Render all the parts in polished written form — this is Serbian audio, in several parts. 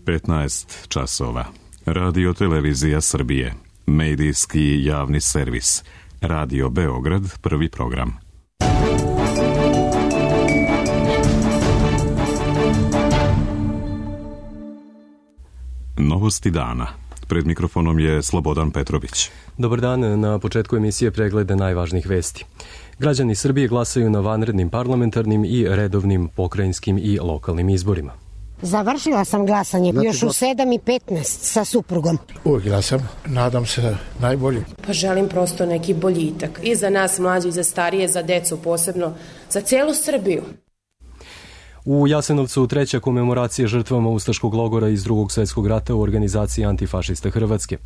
15 časova. Radio Televizija Srbije. Medijski javni servis. Radio Beograd, prvi program. Novosti dana. Pred mikrofonom je Slobodan Petrović. Dobar dan, na početku emisije pregleda najvažnijih vesti. Građani Srbije glasaju na vanrednim parlamentarnim i redovnim pokrajinskim i lokalnim izborima. Završila sam glasanje, još u 7:15 sa suprugom. Uvijek glasam, nadam se najbolje. Pa želim prosto neki boljitak. I za nas mlađi, i za starije, za decu posebno, za cijelu Srbiju. U Jasenovcu treća komemoracija žrtvama ustaškog logora iz Drugog svjetskog rata u organizaciji Antifašista Hrvatske.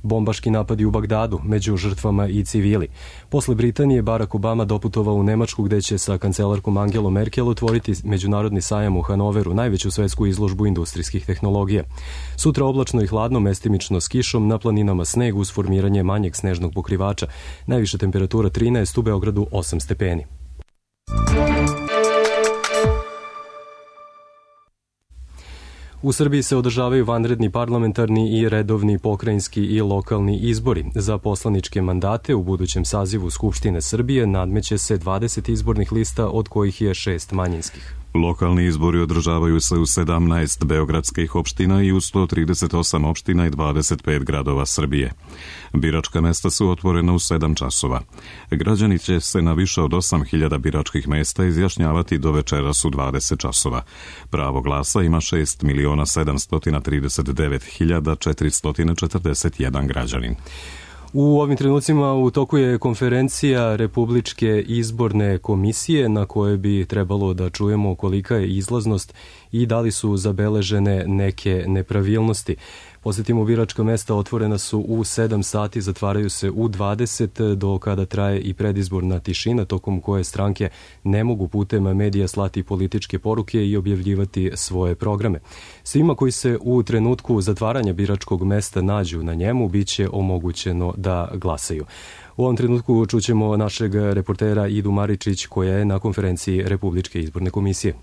Bombaški napadi u Bagdadu, među žrtvama i civili. Posle Britanije, Barack Obama doputovao u Nemačku gde će sa kancelarkom Angelom Merkel otvoriti međunarodni sajam u Hanoveru, najveću svetsku izložbu industrijskih tehnologija. Sutra oblačno i hladno, mestimično s kišom, na planinama sneg uz formiranje manjeg snežnog pokrivača. Najviša temperatura 13, u Beogradu 8 stepeni. U Srbiji se održavaju vanredni parlamentarni i redovni pokrajinski i lokalni izbori. Za poslaničke mandate u budućem sazivu Skupštine Srbije nadmeće se 20 izbornih lista, od kojih je 6 manjinskih. Lokalni izbori održavaju se u 17 beogradskih opština i u 138 opština i 25 gradova Srbije. Biračka mesta su otvorena u 7 časova. Građani će se na više od 8.000 biračkih mesta izjašnjavati do večeras u 20 časova. Pravo glasa ima 6.739.441 građanin. U ovim trenucima u toku je konferencija Republičke izborne komisije na kojoj bi trebalo da čujemo kolika je izlaznost i da li su zabeležene neke nepravilnosti. Posjetimo, biračka mesta otvorena su u 7 sati, zatvaraju se u 20, do kada traje i predizborna tišina, tokom koje stranke ne mogu putem medija slati političke poruke i objavljivati svoje programe. Svima koji se u trenutku zatvaranja biračkog mesta nađu na njemu, bit će omogućeno da glasaju. U ovom trenutku čućemo našeg reportera Idu Maričić, koja je na konferenciji Republičke izborne komisije.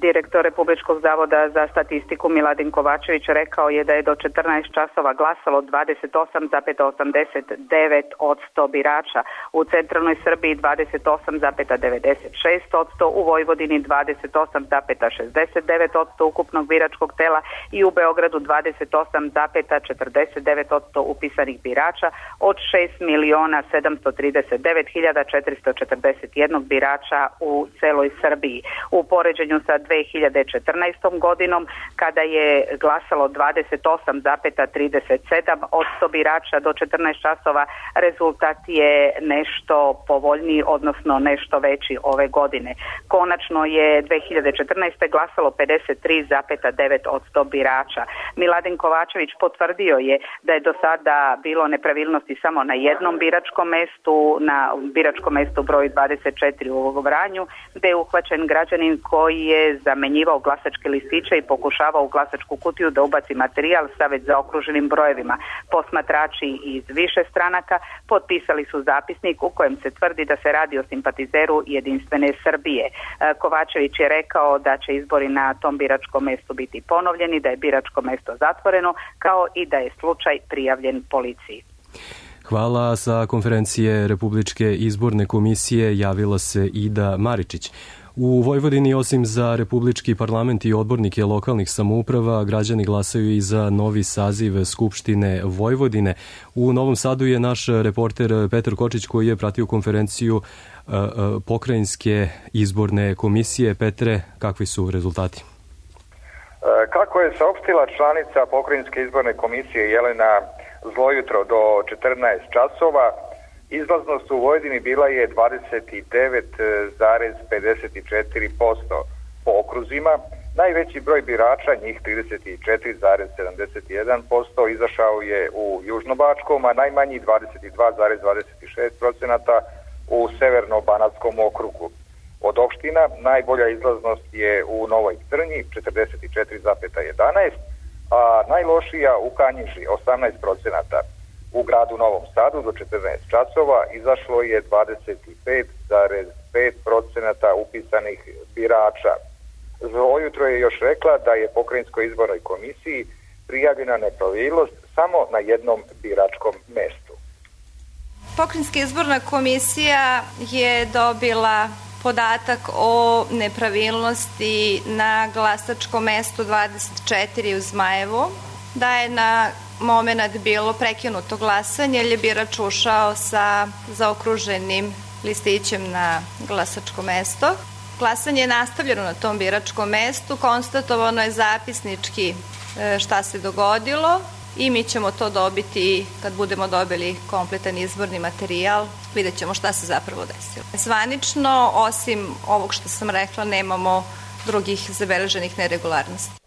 Direktor Republičkog zavoda za statistiku Miladin Kovačević rekao je da je do 14 časova glasalo 28,89% birača, u centralnoj Srbiji 28,96%, u Vojvodini 28,69% ukupnog biračkog tela i u Beogradu 28,49% upisanih birača od 6.739.441 birača u celoj Srbiji. U poređenju sa 2014. godinom, kada je glasalo 28,37% birača do 14 časova, rezultat je nešto povoljniji, odnosno nešto veći ove godine. Konačno je 2014. glasalo 53,9% birača. Miladin Kovačević potvrdio je da je do sada bilo nepravilnosti samo na jednom biračkom mestu, na biračkom mestu broj 24 u Vranju, gde je uhvaćen građanin koji je zamenjivao glasačke listiće i pokušavao u glasačku kutiju da ubaci materijal sa već zaokruženim brojevima. Posmatrači iz više stranaka potpisali su zapisnik u kojem se tvrdi da se radi o simpatizeru Jedinstvene Srbije. Kovačević je rekao da će izbori na tom biračkom mestu biti ponovljeni, da je biračko mesto zatvoreno, kao i da je slučaj prijavljen policiji. Hvala. Sa konferencije Republičke izborne komisije javila se Ida Maričić. U Vojvodini, osim za Republički parlament i odbornike lokalnih samouprava, građani glasaju i za novi saziv Skupštine Vojvodine. U Novom Sadu je naš reporter Petar Kočić, koji je pratio konferenciju Pokrajinske izborne komisije. Petre, kakvi su rezultati? Kako je saopštila članica Pokrajinske izborne komisije Jelena Zlojutro, do 14 časova izlaznost u Vojvodini bila je 29,54% po okruzima. Najveći broj birača, njih 34,71%, izašao je u Južnobačkom, a najmanji 22,26% u Severno-Banatskom okrugu. Od opština najbolja izlaznost je u Novoj Crnji 44,11%, a najlošija u Kanjiži 18%. U gradu Novom Sadu do 14 časova izašlo je 25,5% upisanih birača. ujutro je još rekla da je Pokrajinskoj izbornoj komisiji prijavljena nepravilnost samo na jednom biračkom mestu. Pokrajinska izborna komisija je dobila podatak o nepravilnosti na glasačkom mestu 24 u Zmajevu, da je na moment bilo prekinuto glasanje jer je birač ušao sa zaokruženim listićem na glasačko mesto. Glasanje je nastavljeno na tom biračkom mestu, konstatovano je zapisnički šta se dogodilo i mi ćemo to dobiti kad budemo dobili kompletan izborni materijal, vidjet ćemo šta se zapravo desilo. Zvanično, osim ovog što sam rekla, nemamo drugih zabeleženih neregularnosti.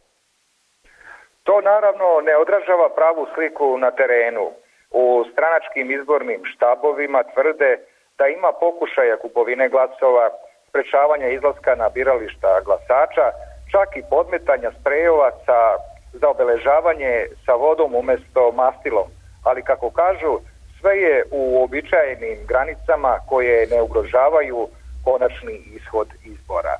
To naravno ne odražava pravu sliku na terenu. U stranačkim izbornim štabovima tvrde da ima pokušaja kupovine glasova, sprečavanja izlaska na birališta glasača, čak i podmetanja sprejova za obeležavanje sa vodom umesto mastilom. Ali kako kažu, sve je u uobičajenim granicama koje ne ugrožavaju konačni ishod izbora.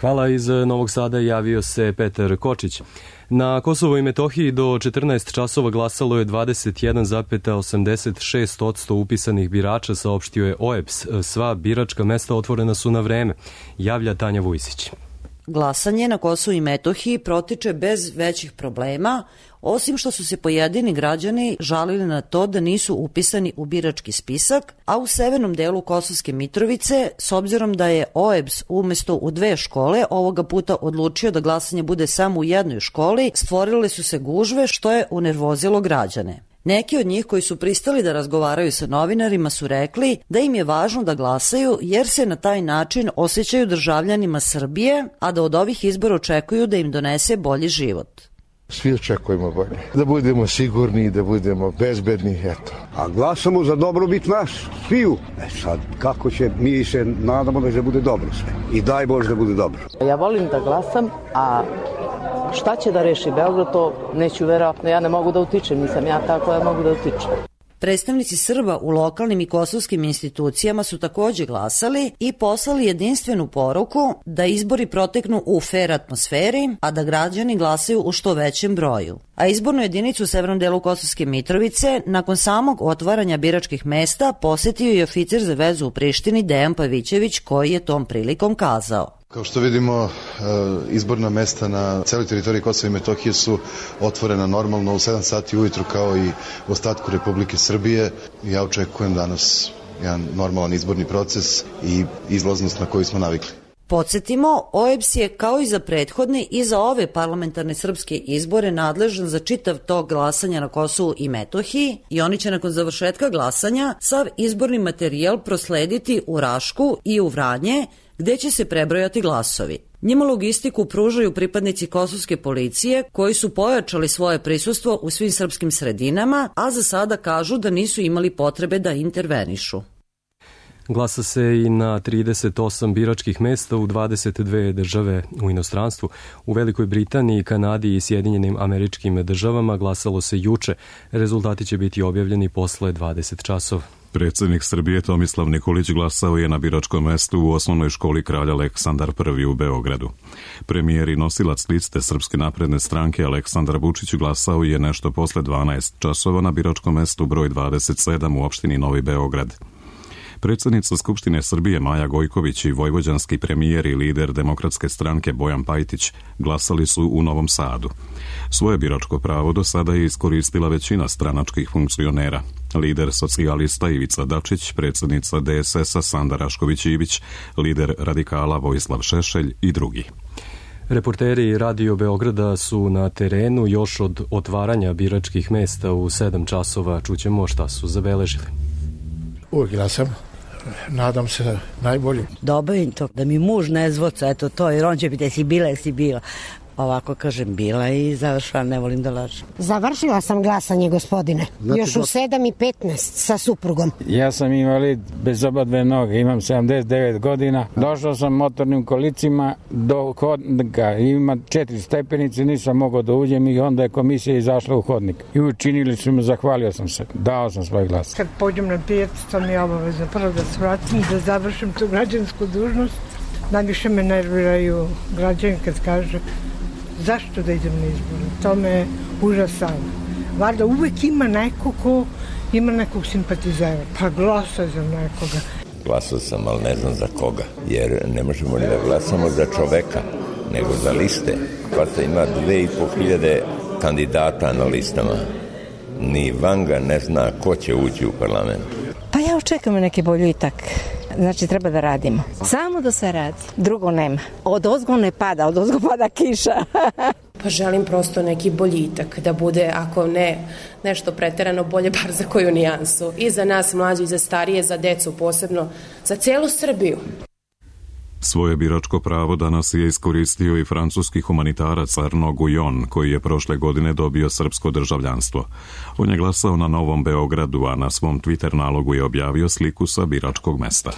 Hvala. Iz Novog Sada javio se Petar Kočić. Na Kosovu i Metohiji do 14 časova glasalo je 21,86% upisanih birača, saopštio je OEBS. Sva biračka mesta otvorena su na vreme, javlja Tanja Vujsić. Glasanje na Kosovu i Metohiji protiče bez većih problema, osim što su se pojedini građani žalili na to da nisu upisani u birački spisak, a u severnom delu Kosovske Mitrovice, s obzirom da je OEBS umesto u 2 škole ovoga puta odlučio da glasanje bude samo u jednoj školi, stvorile su se gužve što je unervozilo građane. Neki od njih koji su pristali da razgovaraju sa novinarima su rekli da im je važno da glasaju jer se na taj način osjećaju državljanima Srbije, a da od ovih izbora očekuju da im donese bolji život. Svi očekujemo bolje. Da budemo sigurni, da budemo bezbedni, eto. A glasamo za dobrobit nas, sviju. Sad, kako će, mi se nadamo da će bude dobro sve. I daj Bože da bude dobro. Ja volim da glasam, a šta će da reši Beograd, to neću verovatno. Ja ne mogu da utičem, nisam ja tako, ja mogu da utičem. Predstavnici Srba u lokalnim i kosovskim institucijama su takođe glasali i poslali jedinstvenu poruku da izbori proteknu u fer atmosferi, a da građani glasaju u što većem broju. A izbornu jedinicu u severnom delu Kosovske Mitrovice nakon samog otvaranja biračkih mesta posetio i oficir za vezu u Prištini Dejan Pavićević, koji je tom prilikom kazao: Kao što vidimo, izborna mesta na celoj teritoriji Kosova i Metohije su otvorena normalno u 7 sati ujutru kao i u ostatku Republike Srbije. Ja očekujem danas jedan normalan izborni proces i izlaznost na koju smo navikli. Podsjetimo, OEBS je kao i za prethodne i za ove parlamentarne srpske izbore nadležan za čitav tok glasanja na Kosovu i Metohiji i oni će nakon završetka glasanja sav izborni materijal proslediti u Rašku i u Vranje, gde će se prebrojati glasovi. Njima logistiku pružaju pripadnici kosovske policije koji su pojačali svoje prisustvo u svim srpskim sredinama, a za sada kažu da nisu imali potrebe da intervenišu. Glasa se i na 38 biračkih mesta u 22 države u inostranstvu. U Velikoj Britaniji, Kanadi i Sjedinjenim Američkim Državama glasalo se juče. Rezultati će biti objavljeni posle 20 časova. Predsjednik Srbije Tomislav Nikolić glasao je na biračkom mestu u osnovnoj školi Kralj Aleksandar I u Beogradu. Premijer i nosilac liste Srpske napredne stranke Aleksandar Vučić glasao je nešto posle 12 časova na biračkom mestu broj 27 u opštini Novi Beograd. Predsjednica Skupštine Srbije Maja Gojković i vojvođanski premijer i lider Demokratske stranke Bojan Pajtić glasali su u Novom Sadu. Svoje biračko pravo do sada je iskoristila većina stranačkih funkcionera. Lider socijalista Ivica Dačić, predsjednica DSS-a Sanda Rašković-Ivić, lider radikala Vojislav Šešelj i drugi. Reporteri Radio Beograda su na terenu još od otvaranja biračkih mesta u 7 časova. Čućemo šta su zabeležili. Uvijek glasam. Nadam se najbolje. Dobavim to, da mi muž ne zvoca, eto to, jer on će biti, jesi bila. Ovako kažem, bila i završila, ne volim da lažem. Završila sam glasanje, gospodine. Znači, još u 7:15 sa suprugom. Ja sam invalid bez oba dve noge, imam 79 godina. Došao sam motornim kolicima do hodnika, ima 4 stepenice, nisam mogao da uđem i onda je komisija izašla u hodnik. I učinili su me, zahvalio sam se, dao sam svoj glas. Kad pođem na pijacu, to mi je obavezno prvo da se vratim, da završim tu građansku dužnost Najviše me nerviraju građani kad kaže zašto da idem na izbore. To me užasava. Valjda uvek ima neko ko ima nekog simpatizera, pa glasa za nekoga. Glasao sam, ali ne znam za koga, jer ne možemo ni da glasamo za čoveka, nego za liste. Pa se ima 2500 kandidata na listama. Ni Vanga ne zna ko će ući u parlament. Pa ja očekujem neki boljitak. Znači treba da radimo. Samo da se radi. Drugo nema. Od ozgo ne pada, od ozgo pada kiša. Pa želim prosto neki boljitak, da bude, ako ne nešto preterano, bolje bar za koju nijansu. I za nas mlađe, i za starije, za decu posebno, za celu Srbiju. Svoje biračko pravo danas je iskoristio i francuski humanitarac Arnaud Guyon, koji je prošle godine dobio srpsko državljanstvo. On je glasao na Novom Beogradu, a na svom Twitter nalogu je objavio sliku sa biračkog mesta.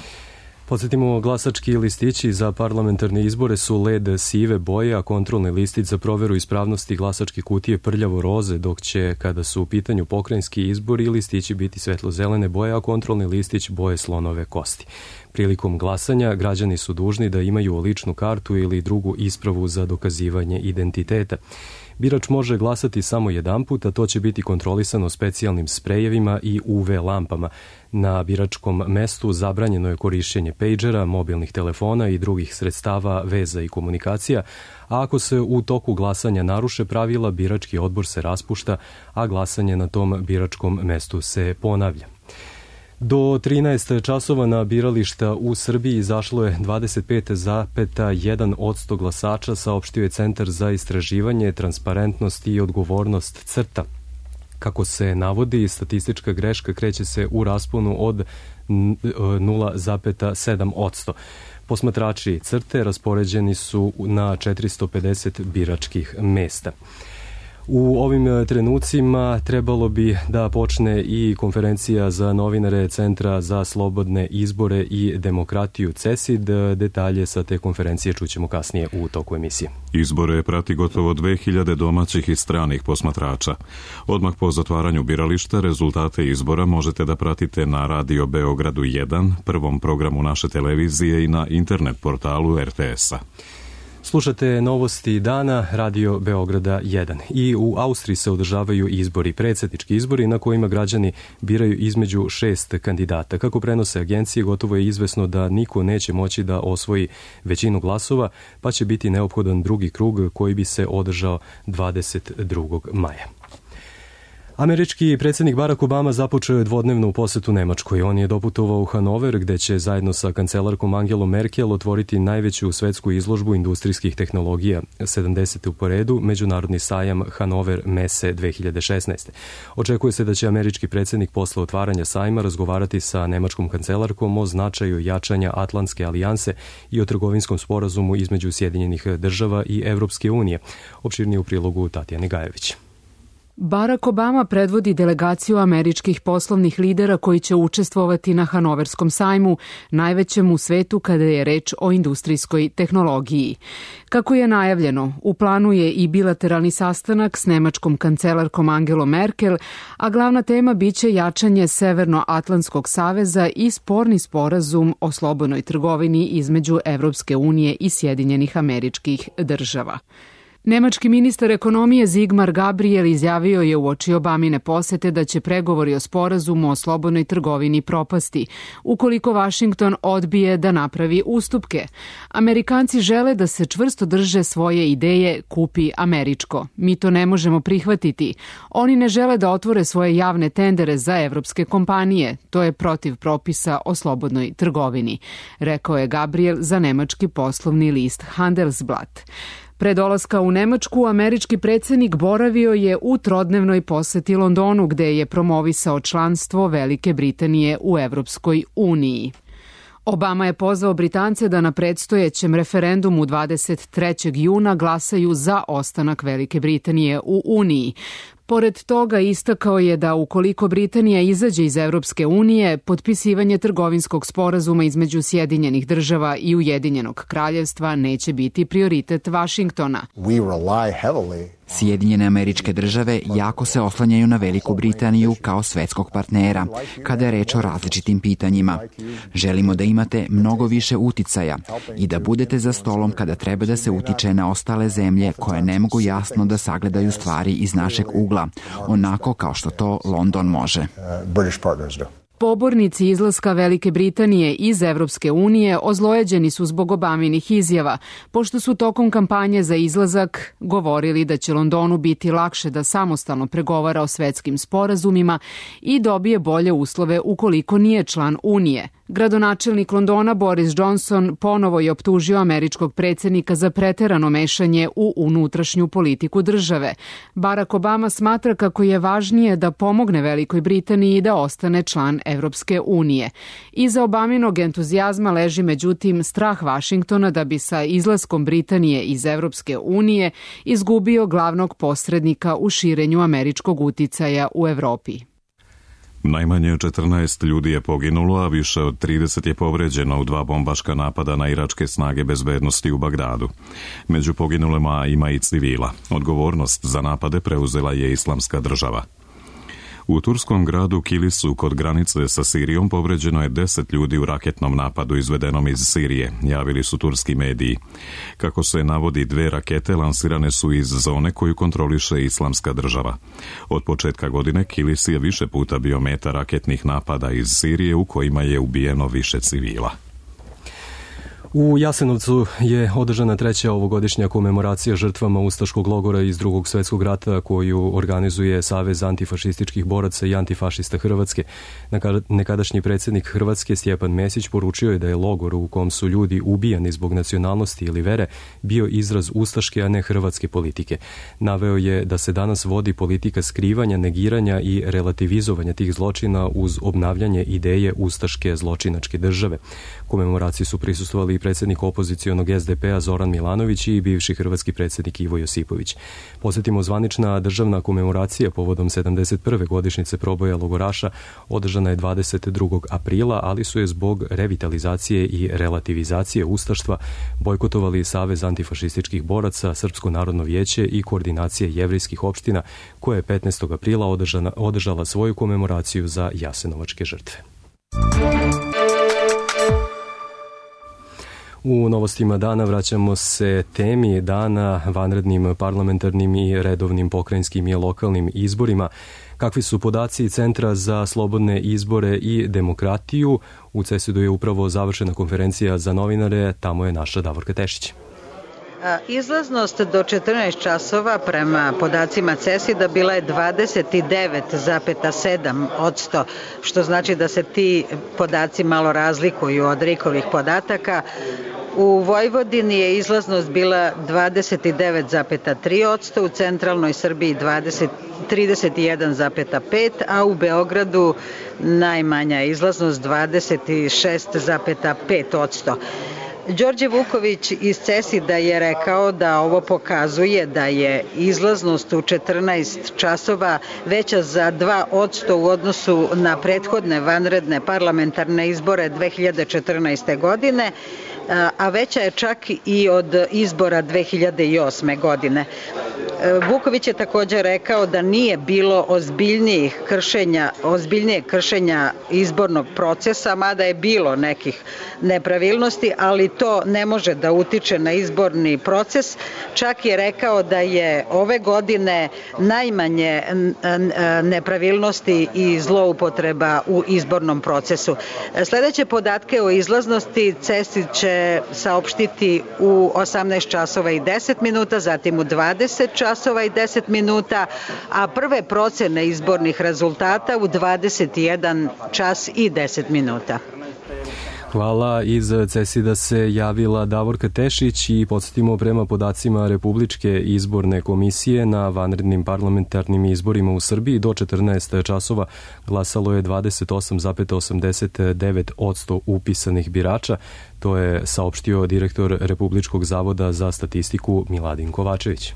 Podsjetimo, glasački listići za parlamentarne izbore su led sive boje, a kontrolni listić za proveru ispravnosti glasačke kutije prljavo roze, dok će, kada su u pitanju pokrajinski izbori, listići biti svetlo-zelene boje, a kontrolni listić boje slonove kosti. Prilikom glasanja građani su dužni da imaju ličnu kartu ili drugu ispravu za dokazivanje identiteta. Birač može glasati samo jedanput, a to će biti kontrolisano specijalnim sprejevima i UV lampama. Na biračkom mestu zabranjeno je korišćenje pejđera, mobilnih telefona i drugih sredstava veza i komunikacija, a ako se u toku glasanja naruše pravila, birački odbor se raspušta, a glasanje na tom biračkom mestu se ponavlja. Do 13 časova na birališta u Srbiji izašlo je 25,1% glasača, saopštio je Centar za istraživanje, transparentnost i odgovornost CRTA. Kako se navodi, statistička greška kreće se u rasponu od 0,7%. Posmatrači CRTE raspoređeni su na 450 biračkih mesta. U ovim trenucima trebalo bi da počne i konferencija za novinare Centra za slobodne izbore i demokratiju CESID. Detalje sa te konferencije čućemo kasnije u toku emisije. Izbore prati gotovo 2000 domaćih i stranih posmatrača. Odmah po zatvaranju birališta rezultate izbora možete da pratite na Radio Beogradu 1, prvom programu naše televizije i na internet portalu RTS-a. Slušate novosti dana Radio Beograda 1. I u Austriji se održavaju izbori, predsjednički izbori na kojima građani biraju između 6 kandidata. Kako prenose agencije, gotovo je izvesno da niko neće moći da osvoji većinu glasova, pa će biti neophodan drugi krug koji bi se održao 22. maja. Američki predsjednik Barack Obama započeo je dvodnevnu posetu Nemačkoj. On je doputovao u Hanover, gde će zajedno sa kancelarkom Angelom Merkel otvoriti najveću svetsku izložbu industrijskih tehnologija, 70. po redu, međunarodni sajam Hanover Messe 2016. Očekuje se da će američki predsjednik posle otvaranja sajma razgovarati sa nemačkom kancelarkom o značaju jačanja Atlantske alijanse i o trgovinskom sporazumu između Sjedinjenih država i Evropske unije. Opširnije u prilogu Tatjane Gajević. Barack Obama predvodi delegaciju američkih poslovnih lidera koji će učestvovati na Hanoverskom sajmu, najvećem u svetu kada je reč o industrijskoj tehnologiji. Kako je najavljeno, u planu je i bilateralni sastanak s nemačkom kancelarkom Angelom Merkel, a glavna tema biće jačanje Severnoatlantskog saveza i sporni sporazum o slobodnoj trgovini između Evropske unije i Sjedinjenih Američkih Država. Nemački ministar ekonomije Sigmar Gabriel izjavio je uoči Obamine posete da će pregovori o sporazumu o slobodnoj trgovini propasti, ukoliko Vašington odbije da napravi ustupke. Amerikanci žele da se čvrsto drže svoje ideje kupi američko. Mi to ne možemo prihvatiti. Oni ne žele da otvore svoje javne tendere za evropske kompanije. To je protiv propisa o slobodnoj trgovini, rekao je Gabriel za nemački poslovni list Handelsblatt. Pre dolaska u Nemačku, američki predsjednik boravio je u trodnevnoj poseti Londonu, gde je promovisao članstvo Velike Britanije u Evropskoj uniji. Obama je pozvao Britance da na predstojećem referendumu 23. juna glasaju za ostanak Velike Britanije u Uniji. Pored toga istakao je da ukoliko Britanija izađe iz Evropske unije, potpisivanje trgovinskog sporazuma između Sjedinjenih država i Ujedinjenog kraljevstva neće biti prioritet Vašingtona. Sjedinjene Američke Države jako se oslanjaju na Veliku Britaniju kao svetskog partnera kada je reč o različitim pitanjima. Želimo da imate mnogo više uticaja i da budete za stolom kada treba da se utiče na ostale zemlje koje ne mogu jasno da sagledaju stvari iz našeg ugla, onako kao što to London može. Pobornici izlaska Velike Britanije iz Evropske unije ozlojeđeni su zbog Obaminih izjava, pošto su tokom kampanje za izlazak govorili da će Londonu biti lakše da samostalno pregovara o svetskim sporazumima i dobije bolje uslove ukoliko nije član Unije. Gradonačelnik Londona Boris Johnson ponovo je optužio američkog predsjednika za preterano mešanje u unutrašnju politiku države. Barack Obama smatra kako je važnije da pomogne Velikoj Britaniji da ostane član Evropske unije. Iza Obaminog entuzijazma leži međutim strah Vašingtona da bi sa izlaskom Britanije iz Evropske unije izgubio glavnog posrednika u širenju američkog uticaja u Evropi. Najmanje 14 ljudi je poginulo, a više od 30 je povređeno u 2 bombaška napada na iračke snage bezbednosti u Bagdadu. Među poginulima ima i civila. Odgovornost za napade preuzela je Islamska država. U turskom gradu Kilisu kod granice sa Sirijom povređeno je 10 ljudi u raketnom napadu izvedenom iz Sirije, javili su turski mediji. Kako se navodi, 2 rakete lansirane su iz zone koju kontroliše Islamska država. Od početka godine Kilis je više puta bio meta raketnih napada iz Sirije u kojima je ubijeno više civila. U Jasenovcu je održana 3. ovogodišnja komemoracija žrtvama ustaškog logora iz Drugog svjetskog rata koju organizuje Savez antifašističkih boraca i antifašista Hrvatske. Nekadašnji predsjednik Hrvatske Stjepan Mesić poručio je da je logor u kom su ljudi ubijani zbog nacionalnosti ili vere bio izraz ustaške, a ne hrvatske politike. Naveo je da se danas vodi politika skrivanja, negiranja i relativizovanja tih zločina uz obnavljanje ideje ustaške zločinačke države. Komemoraciji su prisustvovali i predsjednik opozicionog SDP-a Zoran Milanović i bivši hrvatski predsjednik Ivo Josipović. Posjetimo, zvanična državna komemoracija povodom 71. godišnjice proboja logoraša održana je 22. aprila, ali su je zbog revitalizacije i relativizacije ustaštva bojkotovali Savez antifašističkih boraca, Srpsko narodno vijeće i koordinacije jevrejskih opština, koja je 15. aprila održala svoju komemoraciju za jasenovačke žrtve. U novostima dana vraćamo se temi dana, vanrednim parlamentarnim i redovnim pokrajinskim i lokalnim izborima. Kakvi su podaci Centra za slobodne izbore i demokratiju? U CESID-u je upravo završena konferencija za novinare, tamo je naša Davorka Tešić. Izlaznost do 14 časova prema podacima CESID-a bila je 29,7%, što znači da se ti podaci malo razlikuju od RIK-ovih podataka. U Vojvodini je izlaznost bila 29,3%, u centralnoj Srbiji 31,5%, a u Beogradu najmanja izlaznost 26,5%. Đorđe Vuković iz CESID-a je rekao da ovo pokazuje da je izlaznost u 14 časova veća za 2% u odnosu na prethodne vanredne parlamentarne izbore 2014. godine, a veća je čak i od izbora 2008. godine. Vuković je također rekao da nije bilo ozbiljnijeg kršenja izbornog procesa, mada je bilo nekih nepravilnosti, ali to ne može da utiče na izborni proces. Čak je rekao da je ove godine najmanje nepravilnosti i zloupotreba u izbornom procesu. Sljedeće podatke o izlaznosti CESID će saopštiti u 18 časova i 10 minuta, zatim u 20 časova i 10 minuta, a prve procene izbornih rezultata u 21 čas i 10 minuta. Hvala. Iz CESID-a se javila Davorka Tešić i podsjetimo, prema podacima Republičke izborne komisije na vanrednim parlamentarnim izborima u Srbiji do 14 časova glasalo je 28,89% upisanih birača. To je saopštio direktor Republičkog zavoda za statistiku Miladin Kovačević.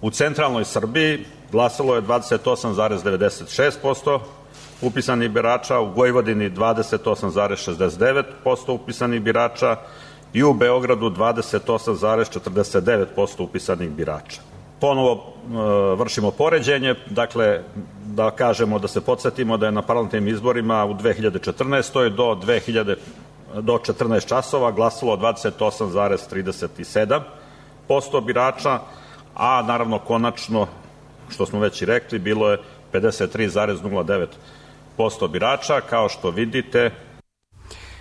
U centralnoj Srbiji glasalo je 28,96% upisanih birača, u Vojvodini 28,69% upisanih birača i u Beogradu 28,49% upisanih birača. Ponovo vršimo poređenje, dakle da kažemo, da se podsjetimo da je na parlamentarnim izborima u 2014. do 14 časova glasalo 28,37% birača, a naravno konačno, što smo već i rekli, bilo je 53,09% birača. Kao što vidite,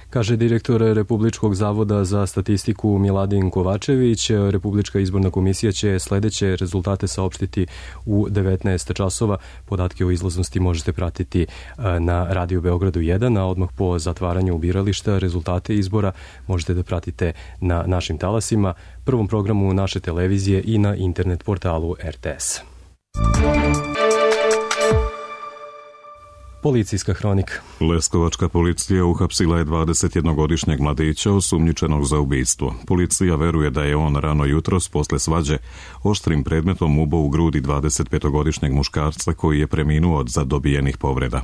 kaže direktor Republičkog zavoda za statistiku Miladin Kovačević, Republička izborna komisija će sledeće rezultate saopštiti u 19 časova. Podatke o izlaznosti možete pratiti na Radio Beogradu 1, a odmah po zatvaranju birališta rezultate izbora možete da pratite na našim talasima, prvom programu naše televizije i na internet portalu RTS. Policijska hronika. Leskovačka policija uhapsila je 21-godišnjeg mladića osumnjičenog za ubistvo. Policija veruje da je on rano jutros posle svađe oštrim predmetom ubao u grudi 25-godišnjeg muškarca koji je preminuo od zadobijenih povreda.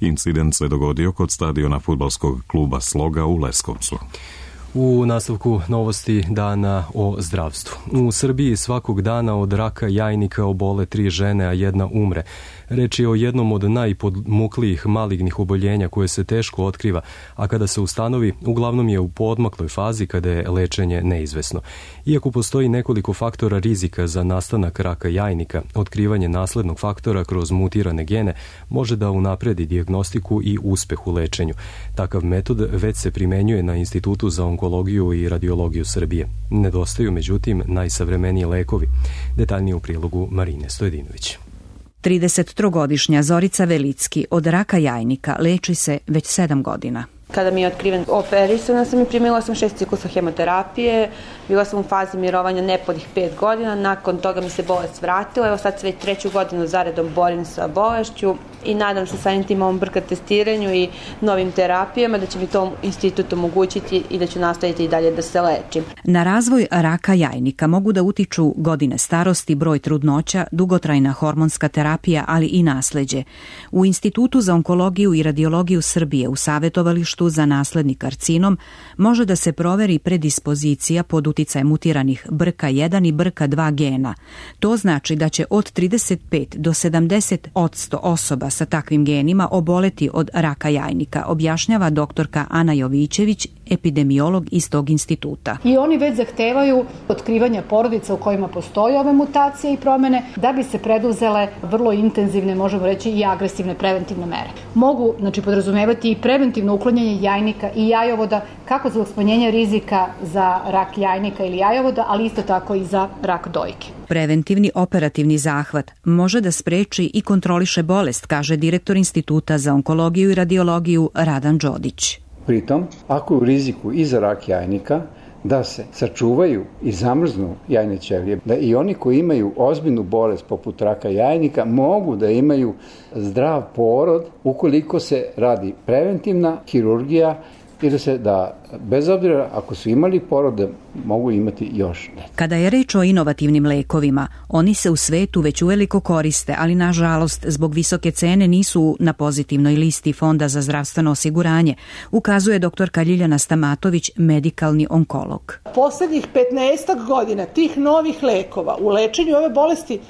Incident se dogodio kod stadiona fudbalskog kluba Sloga u Leskovcu. U nastavku novosti dana o zdravstvu. U Srbiji svakog dana od raka jajnika obole 3 žene, a 1 umre. Reč je o jednom od najpodmuklijih malignih oboljenja koje se teško otkriva, a kada se ustanovi, uglavnom je u poodmakloj fazi kada je lečenje neizvesno. Iako postoji nekoliko faktora rizika za nastanak raka jajnika, otkrivanje naslednog faktora kroz mutirane gene može da unapredi dijagnostiku i uspeh u lečenju. Takav metod već se primenjuje na Institutu za onkologiju i radiologiju Srbije. Nedostaju, međutim, najsavremeniji lekovi. Detaljnije u prilogu Marine Stojedinović. 33-godišnja Zorica Velicki od raka jajnika leči se već 7 godina. Kada mi je otkriven, operisana sam i primila sam 6 ciklusa hemoterapije, bila sam u fazi mirovanja nepunih 5 godina, nakon toga mi se bolest vratila, evo sad se već 3. godinu zaredom borim sa bolešću i nadam se samim tim ovom brka testiranju i novim terapijama da će mi to institut omogućiti i da ću nastaviti i dalje da se lečim. Na razvoj raka jajnika mogu da utiču godine starosti, broj trudnoća, dugotrajna hormonska terapija, ali i nasleđe. U Institutu za onkologiju i radiologiju Srbije u savjetovalištu za nasledni karcinom može da se proveri predispozicija pod uticajem mutiranih BRCA1 i BRCA2 gena. To znači da će od 35 do 70% osoba sa takvim genima oboleti od raka jajnika, objašnjava doktorka Ana Jovićević, epidemiolog iz tog instituta. I oni već zahtevaju otkrivanje porodica u kojima postoje ove mutacije i promene da bi se preduzele vrlo intenzivne, možemo reći i agresivne preventivne mere. Mogu, podrazumevati i preventivno uklanjanje jajnika i jajovoda, kako zbog smanjenja rizika za rak jajnika ili jajovoda, ali isto tako i za rak dojke. Preventivni operativni zahvat može da spreči i kontroliše bolest, kaže direktor Instituta za onkologiju i radiologiju Radan Đodić. Pritom, ako je u riziku i za rak jajnika, da se sačuvaju i zamrznu jajne ćelije, da i oni koji imaju ozbiljnu bolest poput raka jajnika mogu da imaju zdrav porod ukoliko se radi preventivna hirurgija i da bez obzira ako su imali porode mogu imati još dete. Kada je reč o inovativnim lekovima, oni se u svetu već uveliko koriste, ali nažalost zbog visoke cene nisu na pozitivnoj listi Fonda za zdravstveno osiguranje, ukazuje doktorka Ljiljana Stamatović, medikalni onkolog. Poslednjih 15 godina tih novih lekova u lečenju ove bolesti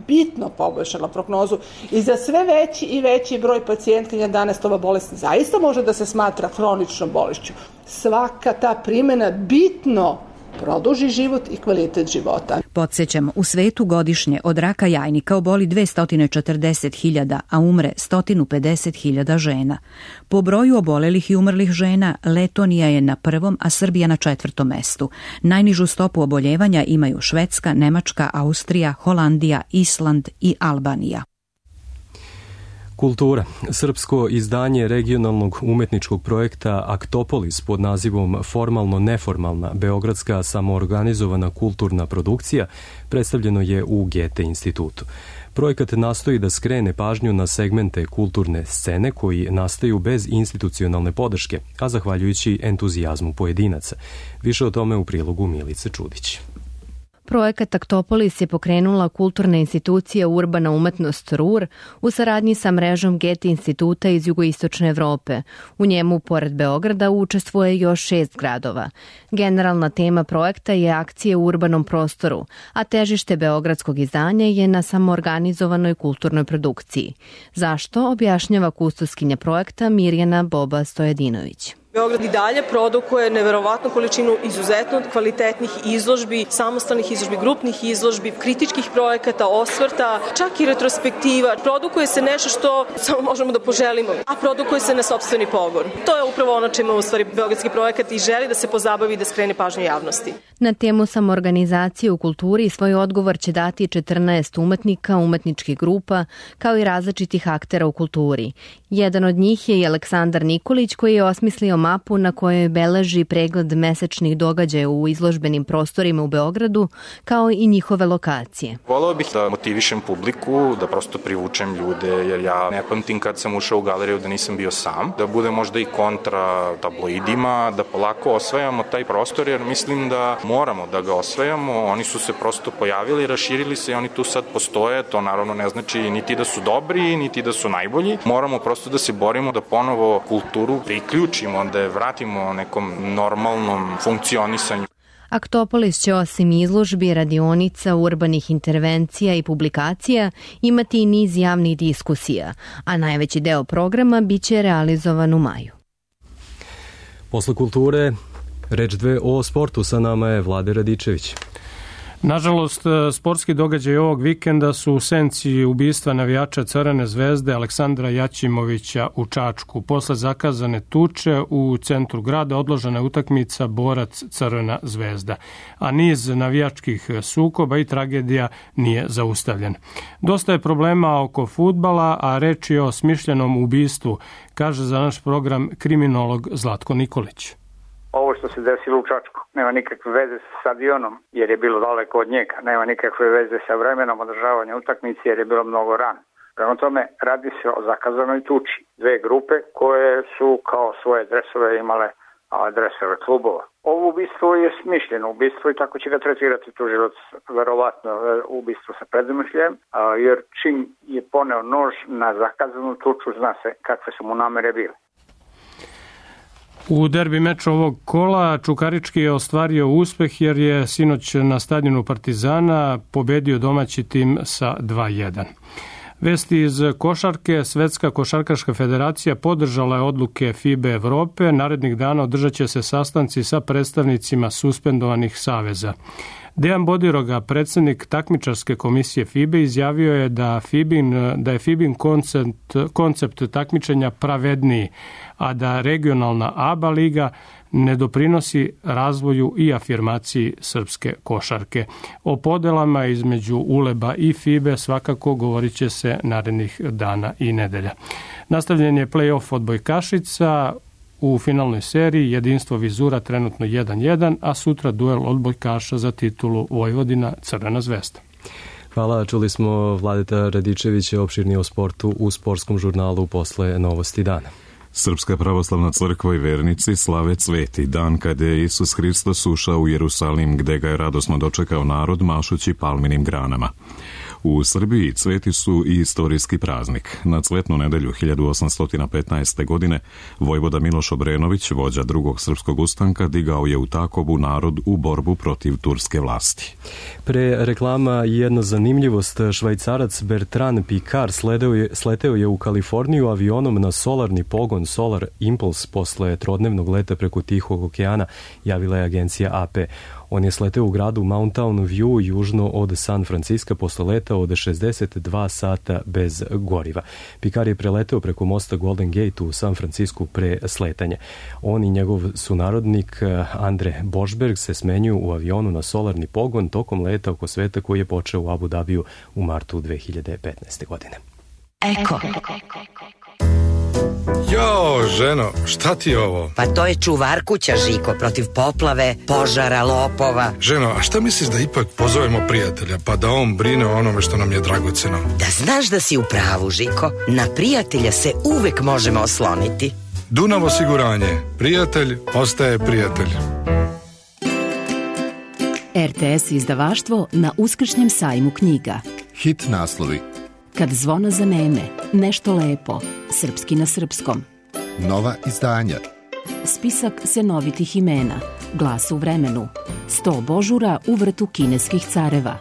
bitno poboljšala prognozu i za sve veći i veći broj pacijentkinja danas ova bolest zaista može da se smatra hroničnom bolešću. Svaka ta primjena bitno produži život i kvalitet života. Podsjećamo, u svetu godišnje od raka jajnika oboli 240.000, a umre 150.000 žena. Po broju obolelih i umrlih žena, Letonija je na 1., a Srbija na 4. mestu. Najnižu stopu oboljevanja imaju Švedska, Nemačka, Austrija, Holandija, Island i Albanija. Kultura. Srpsko izdanje regionalnog umetničkog projekta Aktopolis pod nazivom Formalno-neformalna beogradska samoorganizovana kulturna produkcija predstavljeno je u Goethe institutu. Projekat nastoji da skrene pažnju na segmente kulturne scene koji nastaju bez institucionalne podrške, a zahvaljujući entuzijazmu pojedinaca. Više o tome u prilogu Milice Čudić. Projekat Aktopolis je pokrenula kulturna institucija Urbana umetnost RUR u saradnji sa mrežom Goethe instituta iz jugoistočne Evrope. U njemu, pored Beograda, učestvuje još 6 gradova. Generalna tema projekta je akcije u urbanom prostoru, a težište beogradskog izdanja je na samoorganizovanoj kulturnoj produkciji. Zašto, objašnjava kustoskinja projekta Mirjana Boba Stojadinović. Beograd i dalje produkuje neverovatnu količinu izuzetno kvalitetnih izložbi, samostalnih izložbi, grupnih izložbi, kritičkih projekata, osvrta, čak i retrospektiva. Produkuje se nešto što samo možemo da poželimo, a produkuje se na sopstveni pogon. To je upravo ono čime u stvari beogradski projekat i želi da se pozabavi i da skrene pažnju javnosti. Na temu samoorganizacije u kulturi svoj odgovor će dati 14 umetnika, umetničkih grupa, kao i različitih aktera u kulturi. Jedan od njih je i Aleksandar Nikolić, koji je osmislio mapu na kojoj beleži pregled mesečnih događaja u izložbenim prostorima u Beogradu, kao i njihove lokacije. Voleo bih da motivišem publiku, da prosto privučem ljude, jer ja ne pamtim kad sam ušao u galeriju da nisam bio sam, da bude možda i kontra tabloidima, da polako osvajamo taj prostor, jer mislim da moramo da ga osvajamo. Oni su se prosto pojavili, raširili se i oni tu sad postoje. To naravno ne znači niti da su dobri, niti da su najbolji. Moramo prosto da se borimo da ponovo kulturu priključimo, da je vratimo nekom normalnom funkcionisanju. Aktopolis će osim izložbi, radionica, urbanih intervencija i publikacija imati i niz javnih diskusija, a najveći deo programa biće realizovan u maju. Posle kulture, reč dve o sportu, sa nama je Vlade Radičević. Nažalost, sportski događaj ovog vikenda su u senci ubistva navijača Crvene zvezde Aleksandra Jaćimovića u Čačku. Posle zakazane tuče u centru grada odložena je utakmica Borac Crvena zvezda, a niz navijačkih sukoba i tragedija nije zaustavljen. Dosta je problema oko fudbala, a reč je o smišljenom ubistvu, kaže za naš program kriminolog Zlatko Nikolić. Ovo što se desilo u Čačku nema nikakve veze sa stadionom jer je bilo daleko od njega, nema nikakve veze sa vremenom održavanja utakmice jer je bilo mnogo rano. Prema tome radi se o zakazanoj tuči. Dve grupe koje su kao svoje dresove imale dresove klubova. Ovo ubistvo je smišljeno ubistvo i tako će ga tretirati tužilac, verovatno ubistvo sa predmišljem, jer čim je poneo nož na zakazanu tuču zna se kakve su mu namere bile. U derbi meču ovog kola Čukarički je ostvario uspeh jer je sinoć na stadionu Partizana pobedio domaći tim sa 2-1. Vesti iz košarke. Svetska košarkaška federacija podržala je odluke FIBA Evrope. Narednih dana održat će se sastanci sa predstavnicima suspendovanih saveza. Dejan Bodiroga, predsjednik takmičarske komisije FIBA, izjavio je da je FIBIN koncept takmičenja pravedniji, a da regionalna ABA liga ne doprinosi razvoju i afirmaciji srpske košarke. O podelama između ULEB-a i FIBE svakako govorit će se narednih dana i nedelja. Nastavljen je play-off odbojkašica. U finalnoj seriji jedinstvo Vizura trenutno 1-1, a sutra duel odbojkaša za titulu Vojvodina Crvena zvezda. Hvala, čuli smo Vladeta Radičevića opširnije o sportu u sportskom žurnalu posle Novosti dana. Srpska pravoslavna crkva i vernici slave Sveti dan kada je Isus Hristos ušao u Jerusalim, gde ga je radosno dočekao narod mašući palminim granama. U Srbiji cveti su i istorijski praznik. Na Cvetnu nedelju 1815. godine vojvoda Miloš Obrenović, vođa drugog srpskog ustanka, digao je u Takovu narod u borbu protiv turske vlasti. Pre reklama jedna zanimljivost. Švajcarac Bertrand Piccard sleteo je u Kaliforniju avionom na solarni pogon Solar Impulse posle trodnevnog leta preko Tihog okeana, javila je agencija AP. On je sleteo u gradu Mountain View južno od San Franciska posle leta od 62 sata bez goriva. Piccard je preleteo preko mosta Golden Gate u San Francisku pre sletanja. On i njegov sunarodnik Andre Bošberg se smenjuju u avionu na solarni pogon tokom leta oko sveta koji je počeo u Abu Dhabiju u martu 2015. godine. Eko. Jo, ženo, šta ti je ovo? Pa to je čuvar kuća, Žiko, protiv poplave, požara, lopova. Ženo, a šta misliš da ipak pozovemo prijatelja, pa da on brine o onome što nam je dragoceno? Da znaš da si u pravu, Žiko, na prijatelja se uvek možemo osloniti. Dunav osiguranje, prijatelj ostaje prijatelj. RTS izdavaštvo na Uskršnjem sajmu knjiga. Hit naslovi. Kad zvono zaneme, nešto lepo, srpski na srpskom. Nova izdanja. Spisak senovitih imena, Glas u vremenu, 100 božura u vrtu kineskih careva.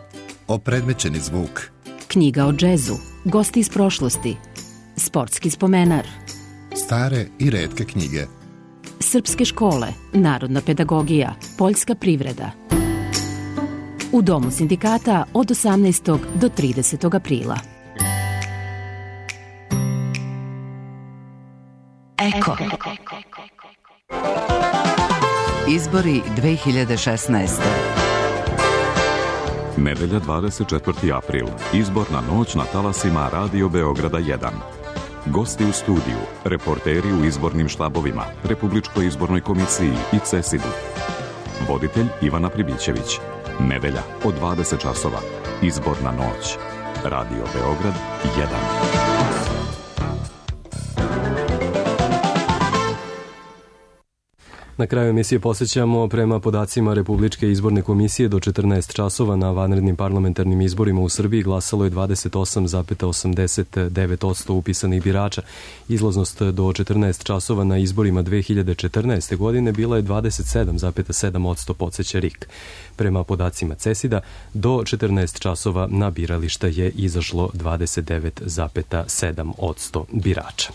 Opredmećeni zvuk. Knjiga o džezu, gosti iz prošlosti, sportski spomenar. Stare i retke knjige. Srpske škole, narodna pedagogija, poljska privreda. U Domu sindikata od 18. do 30. aprila. Eko. Izbori 2016. Nedelja 24. april. Izborna noć na talasima Radio Beograda 1. Gosti u studiju, reporteri u izbornim štabovima, Republičkoj izbornoj komisiji i CESID-u. Voditelj Ivana Pribićević. Nedelja od 20 časova. Izborna noć. Radio Beograd 1. Na kraju emisije posjećamo, prema podacima Republičke izborne komisije, do 14 časova na vanrednim parlamentarnim izborima u Srbiji glasalo je 28,89% upisanih birača. Izlaznost do 14 časova na izborima 2014. godine bila je 27,7%, podsjeća RIK. Prema podacima CESID-a, do 14 časova na birališta je izašlo 29,7% birača.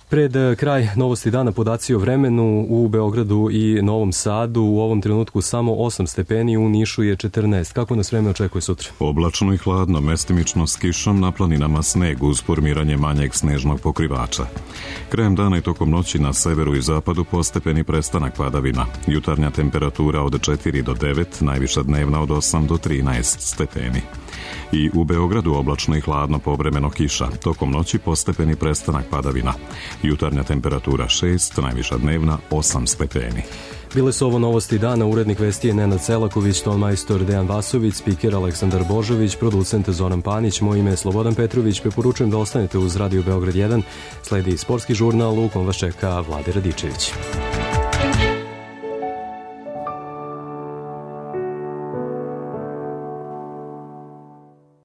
Pred kraj novosti dana podaci o vremenu u Beogradu i Novom Sadu. U ovom trenutku samo 8 stepeni, u Nišu je 14. Kako nas vreme očekuje sutra? Oblačno i hladno, mestimično s kišom, na planinama sneg uz formiranje manjeg snežnog pokrivača. Krajem dana i tokom noći na severu i zapadu postepeni prestanak padavina. Jutarnja temperatura od 4 do 9, najviša dnevna od 8 do 13 stepeni. I u Beogradu oblačno i hladno, povremeno kiša. Tokom noći postepeni prestanak padavina. Jutarnja temperatura 6, najviša dnevna 8 stepeni. Bile su ovo novosti dana. Urednik vesti je Nenad Selaković, tonmajstor Dejan Vasović, spiker Aleksandar Božović, producent Zoran Panić, moje ime je Slobodan Petrović. Preporučujem da ostanete uz Radio Beograd 1. Sledi sportski žurnal, u kom vas čeka Vlade Radičević.